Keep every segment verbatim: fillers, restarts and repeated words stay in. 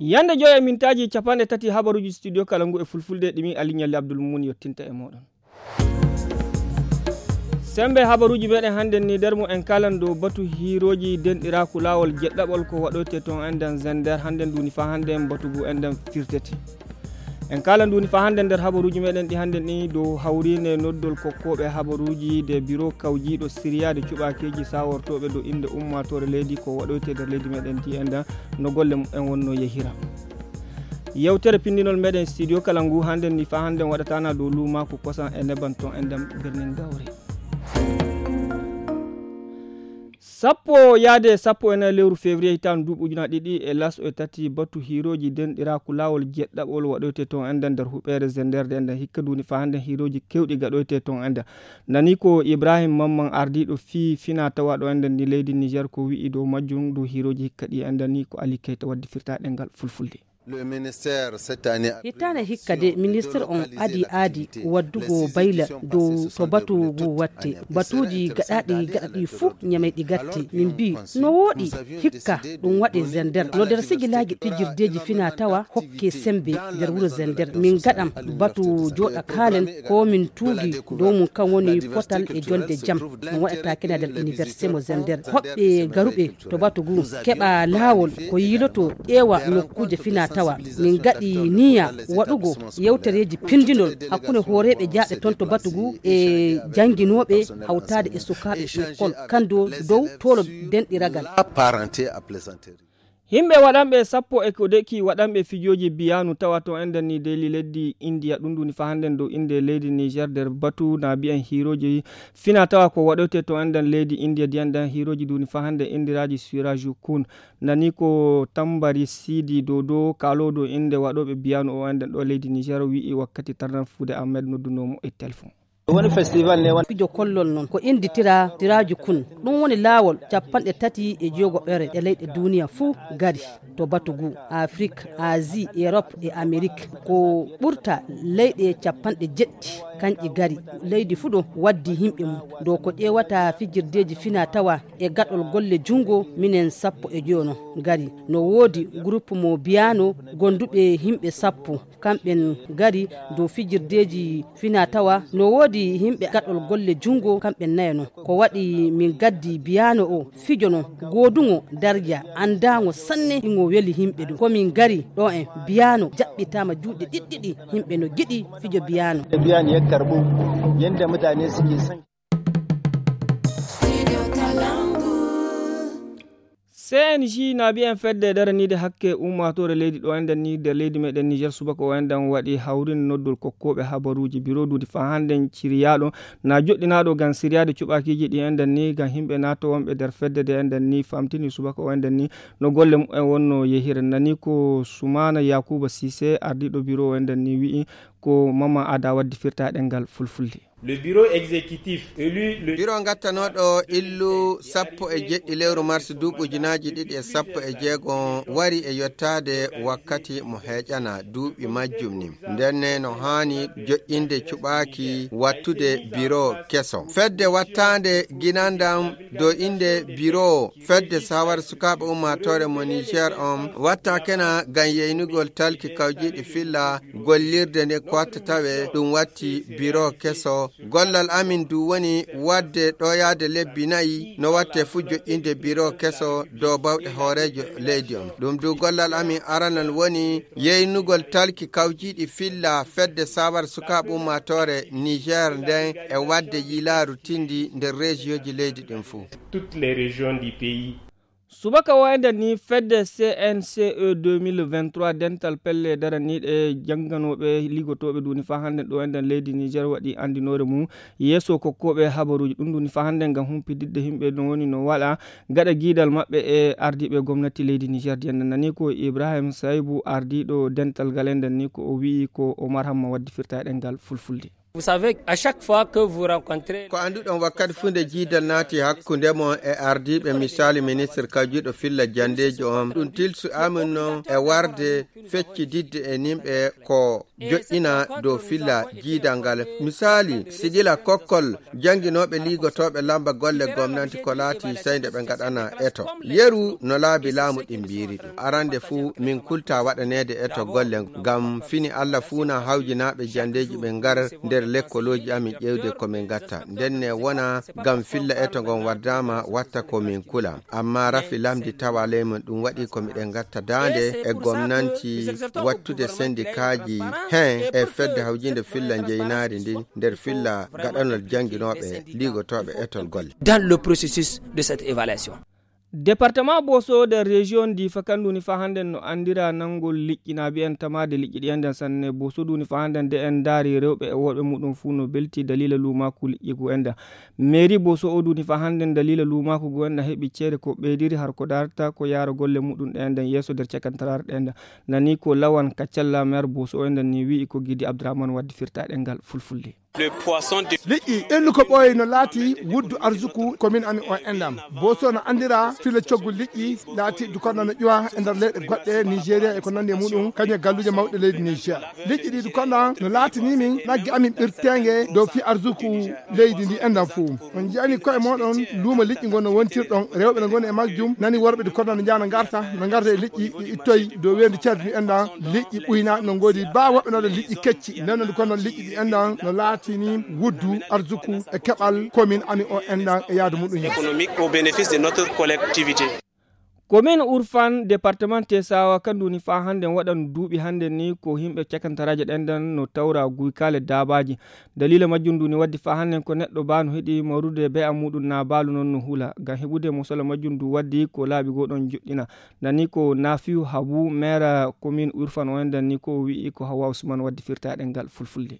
Yande joy e mintaaji capanɗe tati habaruuji studio kala ngu e fulfulde ɗi min Aliou Nialy Abdoul Moumouni yottinta e mooɗon. Sembe habaruuji meɗen hannden ni nder mum en kalan dow batu hiirooji denɗiraaku laawol jeɗɗaɓol ko waɗoyte toon enɗen Zender hannden nduni faa hannden batu ngu enɗen firtete. En kalan nduni faa hannden nder habaruuji meɗen ɗi hannden ni dow hawriinde noddol kokkooɓe habaruuji de biro kawjiiɗo siriyaade cuɓaakeeji saawortooɓe dow innde ummaatoore leydi ko waɗoyte nder leydi meɗen ndi enɗen no golle mum en wonno yehira. Yewtere pinndinol meɗen studio kala ngu hannden ni faa hannden waɗatana dow luumaaku kosan e neban toon enɗen birnin gawri. Sappo yaade sappo e nayi lewru février hitaande duuɓi ujunaaji ɗiɗi e laso e tati batu hiirooji denɗiraaku laawol jeɗɗaɓol waɗoyte toon enɗen nder huɓeere Zender de enɗen hikka nduni faa hannden hiirooji kewɗi gaɗoyte toon enɗen. Nani ko Ibrahim Mamman ardiiɗo fii fina tawa ɗo enɗen ni leydi Niger ko wi'i dow majjum dow hiirooji hikka ɗi enɗen ni ko Ali Keita waddi firtaa ɗengal fulfulde. Hitaande hikka de ministir on adi aadi waddugo bayla dow to batu ngu watte. Batuuji gaɗaaɗi gaɗa ɗi fuu ñamay ɗi gatte. Min mbii no wooɗi hikka ɗum waɗe Zender. No nder sigilaaji pijirdeeji fina tawa hokke sembe nder wuro Zender. Min gaɗam batu jooɗa kaalen ko min tuugi dow mum kan woni potal e jonde jam. Ɗum waɗata kena nder université mo Zender. Hoɓɓe garuɓe to batu ngu keɓa laawol ko yiiloto ƴeewa nokkuuje fina tawa. Min gaɗi niya waɗugo yewtereeji pindinol hakkunde hooreeɓe jaaɓe toon to batu ngu e jannginooɓe hawtaade e sukaaɓe école kanndo dow toolo denɗiragal. Yimɓe waɗanɓe sappo e ko deki waɗanɓe fijooji biyanu tawa to enɗen ni deli leddi Indiya ɗum ɗuni faa hannden dow innde leydi Niger nder batu na bi'en hiirooji fina tawa ko waɗoyte to enɗen leydi Indiya diyanɗen hiirooji ɗuni faa hannden inndiraaji Suraju Kun. Nani ko Tambari Sidi Dodo kaalooɗo innde waɗooɓe biyanu o enɗen ɗo leydi Niger wi'i wakkati tarnan fuude Ahmed noddunoo mo e telefon. Woni festival ne woni. Fijo kollol noon ko innditira Suraju Kun. Ɗum woni laawol capanɗe tati e jeegoɓere e leyɗe duniya fuu gari to batu ngu Afrik, Asie, Europe e Amerique. Ko ɓurta leyɗe capanɗe jeɗɗi kanƴi gari. Leydi fuu ɗo waddi yimɓe mum. Ɗo ko ƴeewata fijirdeeji fina tawa e gaɗol golle junngo minen sappo e joyo no gari. No woodi groupe mo biyano gonduɓe yimɓe sappo. Kamɓen gari dow fijirdeeji fina tawa no woodi yimɓe gaɗol golle junngo kamɓen nayo no. Ko waɗi min gaddi biyano o fijo no gooduŋo darja anndaŋo sanne ngo weli yimɓe ɗum. Ko min gari ɗo en biyano jaɓɓitaama juuɗe ɗiɗɗiɗi yimɓe no giɗi fijo biyano. Biyano ya karɓu yadda mutane suke son. C N J na mbiyen fedde daraniide hakke ummaatoore leydi ɗo enɗen ni nder leydi meɗen Niger subaka o enɗen waɗi hawrin noddol kokkooɓe habaruuji biro duudi faa hannden ciriyaaɗo na joɗɗinaaɗo ngam siriyaade cuɓaakiiji ɗi enɗen ni ngam yimɓe naato wonɓe nder fedde de enɗen ni famtini subaka o enɗen ni no golle mumen wonno yehira. Nani ko Sumaana Yakuba Sise ardiiɗo biro o enɗen ni wi'i ko Mama Ada waddi firtaa ɗengal fulfulde. Le bureau exécutif élu le Biro ngattanooɗo illu sappo e jeɗɗi lewru mars duuɓi ujunaaji ɗiɗi e sappo e jeego wari e yottaade wakkati mo heeƴana duuɓi majjum ni. Ndenne no haani joƴƴinde cuɓaaki wattude biro keso. Fedde wattaande ginandam do inde biro fedde sawar sukaaɓe ummaatoore mo Niger on watta kena ngam yeynugol talki kawjiiɗi filla gollirde nde ko watta tawe ɗum watti biro keso. Gollal amin du woni wadde ɗoyaade lebbi nayi no watte fu joƴƴinde biro keso dow bawɗe hooreejo leydi on. Ɗum du gollal amin aranal woni yeynugol talki kawjiiɗi filla fedde sawar sukaaɓe ummaatoore Niger nden e wadde yilaaru tindi nder rejiyoji leydi ɗin fuu. Toutes les régions du pays. Subaka o enɗen ni fedde C N C E deux mille vingt-trois dental pelle daraniiɗe jannganooɓe ligotooɓe duuni faa hannde ɗo enɗen leydi Niger waɗi anndinoore mum yeeso kokkooɓe habaruuji ɗum duuni faa hannde ngam humpididde yimɓe no woni no waɗa gaɗa giidal maɓɓe e ardiiɓe gomnati leydi Niger. Diyan nani ko Ibrahim Saybu ardiiɗo dental ngal enɗen ni ko o wi'i ko Omar Hamma waddi firta e ɗemngal fulfulde. Vous savez, à chaque fois que vous rencontrez... Ko annduɗon, wakkati fuu nde jiidal naati hakkunde mon e ardiiɓe, misaali ministre kajjuɗo filla janndeeji on, ɗum tilsu amin non e warde feccididde e nimɓe ko joɗɗina dow filla jiidal ngal. Misaali, si gila kokkol jannginooɓe liigotooɓe lamba golle gomnanti ko laati sey nde ɓe ngaɗana eto. Yeru no laabi laamu ɗin mbiiri ɗum. Arande fuu min kulta waɗaneede eto golle ngam fini Alla fuuna hawjinaaɓe janndeeji ɓe ngar nder lekkolooji amin ƴeewde ko min ngatta. Ndenne wona ngam filla eto ngon wardaama watta ko min kula. Amma rafi lamdi tawa ley mum ɗum waɗi ko miɗen ngatta daande e gomnanti wattude sendikaaji hen e fedde hawjinde filla njeynaari ndin nder filla gaɗanol jannginooɓe liigotooɓe etol golle. Dans le processus de cette évaluation. Département Boso nder région ndi fakandu ni fa hannde no anndira nanngol liƴƴi na mbiyen tamaade liƴƴi ɗi enɗen sanne. Boso du ni fa hannde nde en ndaari rewɓe e worɓe muɗum fuu no belti dalila luumaaku liƴƴi gu enɗen. Mairie Boso o du ni fa hannde dalila luumaaku gu enɗen heɓi ceede ko ɓeydiri har ko darta ko yaara golle muɗum ɗe enɗen yeeso nder cakantaraare ɗe enɗen. Nani ko lawan kaccalla maire Boso o enɗen ni wi'i ko Gidi Abdourahmane waddi firta ɗengal fulfulde. Liƴƴi ɓennu ko ɓooyi no laati wuddu arsuku commune amin o enɗam. Boso no anndira fila coggu liƴƴi laati dukonda no ƴuwa e nder leyɗe goɗɗe Nigeria e ko nanndi e muɗum, kañum e galluuje mawɗe leydi Niger. Liƴƴi ɗi dukonda no laatini min nagge amin ɓirteenge dow fi arsuku leydi ndi enɗam fuu. On njiyani koye mooɗon luumo liƴƴi ngon no wontirɗon, rewɓe no ngoni e majjum, nani worɓe dukonda no njaha no ngarta, no ngarta e liƴƴi ɗi ittoy dow weendu cardi ndi enɗam, liƴƴi ɓuyna no ngoodi ba woɓɓe no waɗa liƴƴi kecci. Nden non kono liƴƴi ɗi enɗam no laatini wuddu arsuku e keɓal commune amin o enɗam e yaadu muɗum yeeso. Économique au bénéfice de notre collectivité. Commune Urfan, département Tesawa, kandu ni fa hannde waɗan duuɓi hannde ni ko yimɓe cakantaraaje ɗen ɗan no tawra guykaale daabaaji. Dalila majjum ndu ni waddi fa hannde ko neɗɗo ba no heɗi mawrude be'a muɗum na baalu non no hula. Ngam heɓude mosala majjum ndu waddi ko laabi goo ɗon joɗɗina. Nani ko Nafiu Habu, maire commune Urfan o enɗan ni ko wi'i ko Hawa Usman waddi firta ɗengal fulfulde.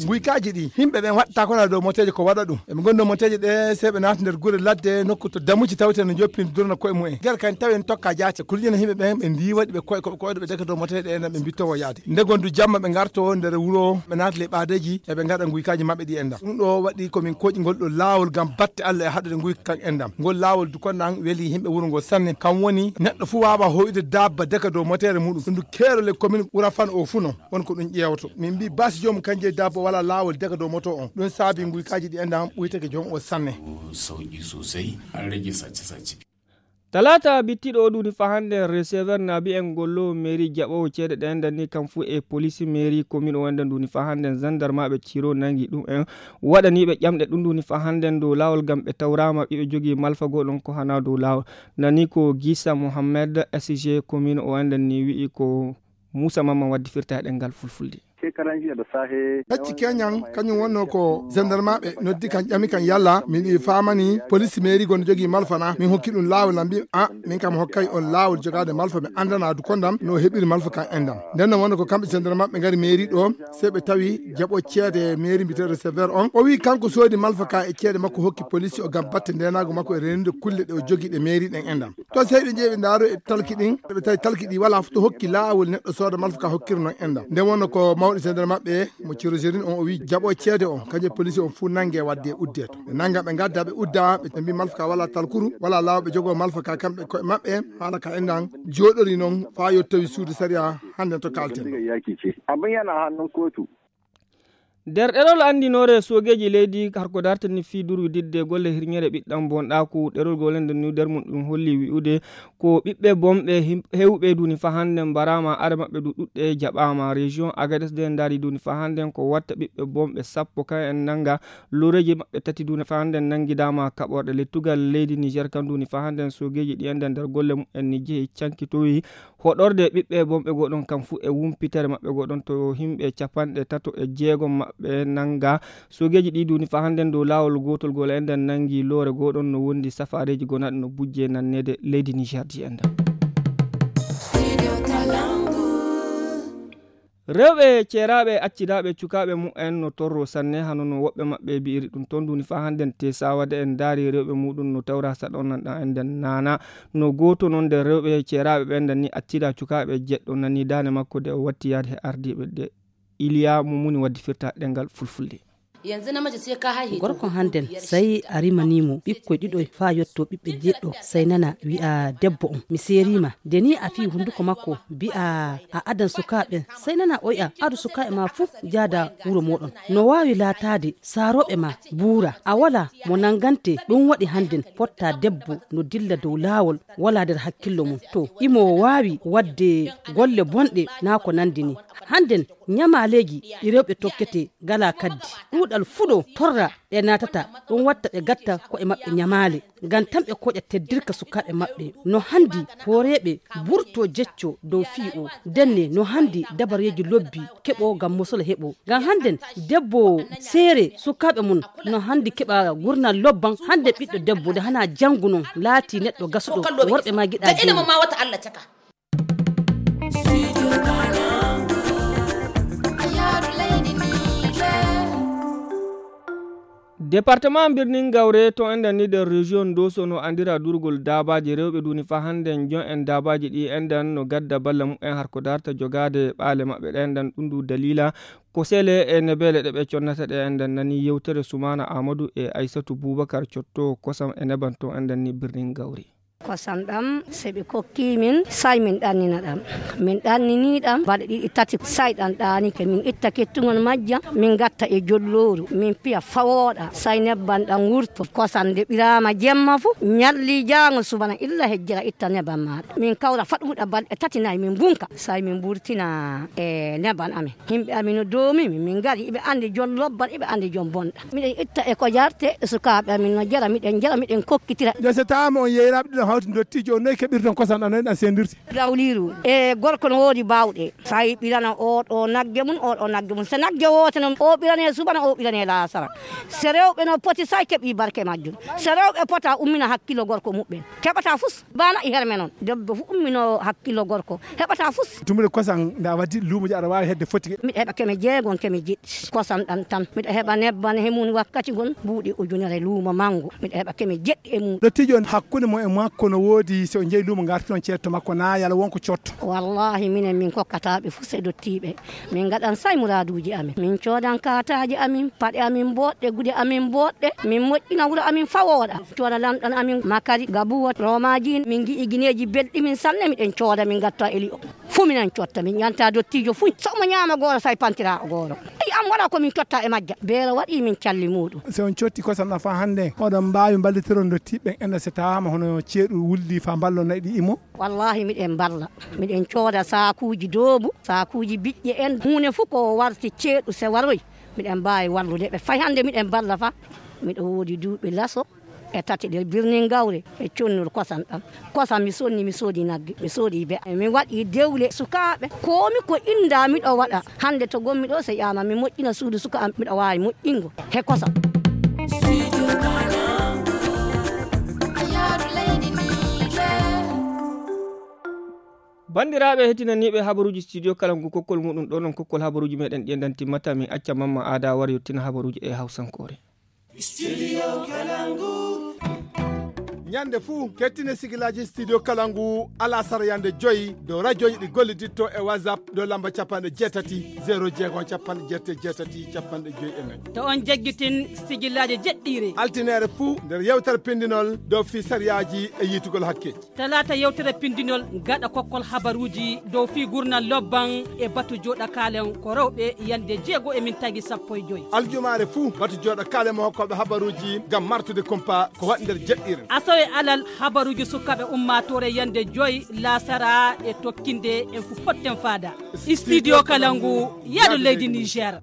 Nguykaaji ɗi, yimɓe ɓen waɗta kono dow moteeje ko waɗa ɗum. Eɓe ngoni dow moteeje ɗe, sey ɓe naata nder gure ladde, nokku to damuji tawete no njoppini durna koye mumen. Nder kan tawi en tokka jaate, kulƴina yimɓe ɓen, ɓe ndiwa ɗi, ɓe koye, koɓe koyɗo ɓe daga dow moteeje ɗe, ɓe mbittowo yaade. Nde gondu jamma ɓe ngarto nder wuro, ɓe naata ley ɓaadeeji, eɓe ngaɗa nguykaaji maɓɓe ɗi enɗam. Ɗum ɗo waɗi ko min koƴi ngol ɗo laawol ngam batte Allah e haɗude nguyka kan enɗam. Ngol laawol du kon nan weli yimɓe wuro ngol sanne. Kam woni neɗɗo fuu waawa hoyde dabba daga dow moteere muɗum. Ɗum du keerol e commune Urafan o fuu non. Won ko ɗum ƴeewto. Min mbii basi joomum kan jeyi dabba wala laawol daga dow moto on. Ɗum saabi nguykaaji ɗi enɗam ɓuytake joom o sanne. Sauƙi sosai, an rage sace-sace. Talaata bittiɗo o ɗuni fa hannde receveur na mbi'en gollo mairie jaɓoowo ceede ɗe enɗan ni kam fuu e police mairie commune o enɗan ɗuni fa hannde gendarme ɓe ciro nangi ɗum en waɗaniiɓe ƴamɗe ɗum ɗuni fa hannde dow laawol ngam ɓe tawraama ɓiɓe jogii malfa goo ɗon ko hana dow laawol. Nani ko Gisa Mohammed S G commune o enɗan ni wi'i ko Muusa Mamman waddi firta e ɗemngal fulfulde. Hecci keñan kañum wonnoo ko gendarmaaɓe noddi kan ƴami kan yalla min ɗi faamani police mairie gon jogii malfa na min hokki ɗum laawol na mbi a min kam hokkay on laawol jogaade malfa mi anndana du kondam no heɓiri malfa kan enɗam. Nden no wonnoo ko kamɓe gendarmaaɓe ngari mairie ɗo sey ɓe tawi jaɓo ceede mairie mbiteeɗo receveur on o wi kanko soodi malfa ka e ceede makko hokki police o ngam batte ndenaago makko e reenude kulle ɗe o jogii ɗe mairie ɗen enɗam. To sey ɓe njehi ɓe ndaaro e talki ɗin ɓe tawi talki ɗi wala fof to hokki laawol neɗɗo sooda malfa ka hokkira non enɗam. Nden wonnoo ko mawɗo sendere maɓɓe mo ciroserin on o wi jaɓo ceede on kañum e police on fuu nange wadde udde to ɓe nanga ɓe ngadda ɓe udda ɓe mbi malfa ka wala talkuru wala laawol ɓe jogoo malfa ka kamɓe koye maɓɓe. Haala ka enɗam jooɗori non faa yottowi suudu sariya hannde to kalten. Abin yana hannun kotu. Nder ɗerol anndinoore soogeeji leydi harko dartani fii durwididde golle hirñere ɓiɗɗam bonɗaaku ɗerol golende ni nder mum ɗum holli wi'ude ko ɓiɓɓe bonɓe heewɓe duni fa hannde mbaraama are maɓɓe du ɗuɗɗe jaɓaama. Région Agadez de ndaari duni fa hannde ko watta ɓiɓɓe bonɓe sappo kan en nannga loreeji maɓɓe tati duni fa hannde nanngidaama kaɓorɗe lettugal leydi Niger kan duni fa hannde soogeeji ɗi ende nder golle mum en ni jehi cankitowi hoɗorde ɓiɓɓe bonɓe goo ɗon kam fuu e wumpitere maɓɓe goo ɗon to yimɓe capanɗe tato e jeegom maɓɓe nannga. Soogeeji ɗi duni fa hannden dow laawol gootol gol enɗan nanngi loore goo ɗon no wondi safaareeji gonaaɗi no bujje nanneede leydi Niger di enɗan. Rewɓe ceeraaɓe accidaaɓe cukaaɓe mumen no torro sanne hano no woɓɓe maɓɓe bi'iri ɗum ton duni fa hannden te sawade en ndaari rewɓe muɗum no tawra saɗon nan ɗan enɗan naana. No gooto non nder rewɓe ceeraaɓe ɓen ndanni accida cukaaɓe jeɗɗo nani daande makko de o watti yaade he ardiiɓe de. Iliya Mumuni waddi firta ɗengal fulfulde. Gorko hannden, sey a rimanii mo ɓikkoy ɗiɗoy faa yottoo ɓiɓɓe jeeɗiɗo, sey nana wi'a debbo on, "Mi seerii ma." Nde nii a fii hunnduko makko, mbi'a a adan sukaaɓe, sey nana o wi'a, "Adu sukaaɓe maa fuu njaada wuro mooɗon." No waawi laataade saarooɓe maa buura, a walaa mo nanngante. Ɗum waɗi hannden fotta debbo no dilla dow laawol, walaa nder hakkillo mum. To imo waawi waɗde golle bonɗe naa ko nanndi nii. Hannden ñamaaleeji ɗi rewɓe tokkete ngalaa kaddi. Ɗuuɗal fuɗo torra ɗe naatata, ɗum watta ɓe gatta ko'e maɓɓe ñamaale, ngam tan ɓe koƴa teddirka sukaaɓe maɓɓe. No hanndi hooreeɓe mburto jecco dow fii o, ndenne no hanndi dabareeji lobbi keɓo ngam mosol heɓo. Ngam hannden debbo seere sukaaɓe mum no hanndi keɓa gurnal lobban. Hannden ɓiɗɗo debbo nde hana janngu non laati neɗɗo gasuɗo, worɓe ma giɗa jeyi. Département Birnin Gawre to enɗen ni nder région Doso no andira durgol daabaaji rewɓe duni fa hannden jon en daabaaji ɗi enɗen no gadda balla mumen har ko darta jogaade ɓaale maɓɓe ɗe enɗen ɗum du dalila ko sele e nebeele ɗe ɓe connata ɗe enɗen nani yewtere Sumana Amadou e Aissatou Boubacar Cotto kosam e neban to enɗen ni Birnin Gawre. Kosam ɗam, se ɓe kokki min, say min ɗannina ɗam. Min ɗannini ɗam, balɗe ɗiɗi tati, say ɗam ɗaanike. Min itta kettugol majjam, min gatta e jollooru, min piya fawooɗa, say nebban ɗam wurto. Kosam nde ɓiraama jemma fu, ñalli jaango subana illa hejjira itta nebban maaɗa. Min kawra faɗuɗa balɗe tati nay min bunka, say min burtina e nebban amen. Himɓe amin no doomi min, min ngari, iɓe anndi jon lobban, iɓe anndi jon bonɗa. Miɗen itta e ko jarte, e sukaaɓe amin no jara, miɗen jara, miɗen kokkitira. Yo so taama on yeyraaɓe ɗiɗon hawti ndottiijo on, noy keɓirton kosam ɗam, noy ɗam sendirti? Gawliiru, e gorko no woodi baawɗe. Say ɓirana oo ɗoo nagge mum, oo ɗoo nagge mum. So nagge woote noon, oo ɓiranee subana, oo ɓiranee laasara. So rewɓe no poti, say keɓi barke majjum. So rewɓe pota, ummina hakkillo gorko muɓɓen. Keɓata fus. Bana e herme noon, debbo fu umminoo hakkillo gorko, heɓata fus. Tumude kosam nda waddi luumo je aɗa waawi hedde foti. Miɗa heɓa keme jeegon, keme jeɗɗi. Kosam ɗam tan. Miɗa heɓa nebban he mum wakkati gon buuɗi ujunere luumo mango. Miɗa heɓa keme jeɗɗi e mum. Dottiijo on hakkunde mo e makko no woodi, so o jeyi luumo ngartiron ceetto makko na yala wonko cotto. Wallahi minen min kokkata ɓe fus e dottiiɓe. Min ngaɗan say muraaduuji amin. Min coodan kaataaji amin, paɗe amin booɗɗe, gude amin booɗɗe. Min moƴƴina wuro amin fawooɗa. Cooda lamɗan amin makari, gabuwa, roomaaji. Min ngi'i gineeji belɗi min sanne, miɗen cooda, min ngatta e li'o. Fu minen cotta, min ƴanta dottiijo fu. So omo ñaama gooro, say pantira o gooro. Ay, am waɗa ko min cotta e majja. Beero waɗi min calli muuɗum. So on cotti kosam ɗam fa hannde, oɗon mbaawi mballitiron dottiiɓe ɓen enɗa so tawaama hono ceeɗu wulli fa mballon nayi ɗi imo? Wallahi, miɗen mballa. Miɗen cooda saakuuji doobu, saakuuji biƴƴe en. Huunde fu ko warti ceeɗu se waroy, miɗen mbaawi wallude ɓe. Fay hannde miɗen mballa fa. Miɗo woodi duuɓi laso e tati nder birni Ngawre e connol kosam ɗam. Kosam mi sonni, mi soodi nagge, mi soodi be. Mi waɗi dewle sukaaɓe. Koomi ko innda miɗo waɗa. Hannde to gommi ɗo, so ƴaama mi moƴƴina suudu suka am, miɗo waawi moƴƴingo he kosam. Banndiraaɓe heɗtinaniiɓe habaruuji studio kala ngu kokkol muɗum ɗo non kokkol habaruuji meɗen ɗi en ɗan timmata min acca Mamma Aada wara yottina habaruuji e hawsankoore. Studio Kalangu. Ñande fuu kettine sigilaaji studio Kalangu alasara yande joyi dow rajoji ɗi golliditto e WhatsApp dow lamba capanɗe jeetati zero jeegom capanɗe jeetati jeetati capanɗe joyi e nayi. To on jaggitin sigilaaji jeɗɗiire. Altineere fuu nder yewtere pindinol dow fii sariyaaji e yiitugol hakkeeji. Talaata yewtere pindinol gaɗa kokkol habaruuji dow fii gurnal lobban e batu jooɗa kaalen ko rewɓe yande jeego e min tagi sappo e joyi. Aljumaare fuu batu jooɗa kaalen mo hokkooɓe habaruuji ngam martude kumpa ko waɗi nder jeɗɗiire. Asawe alal habaruuji sukaaɓe ummaatoore yande joyi laasara e tokkinde en fu potten faada. Studio Kalangu, yaadu leydi Niger.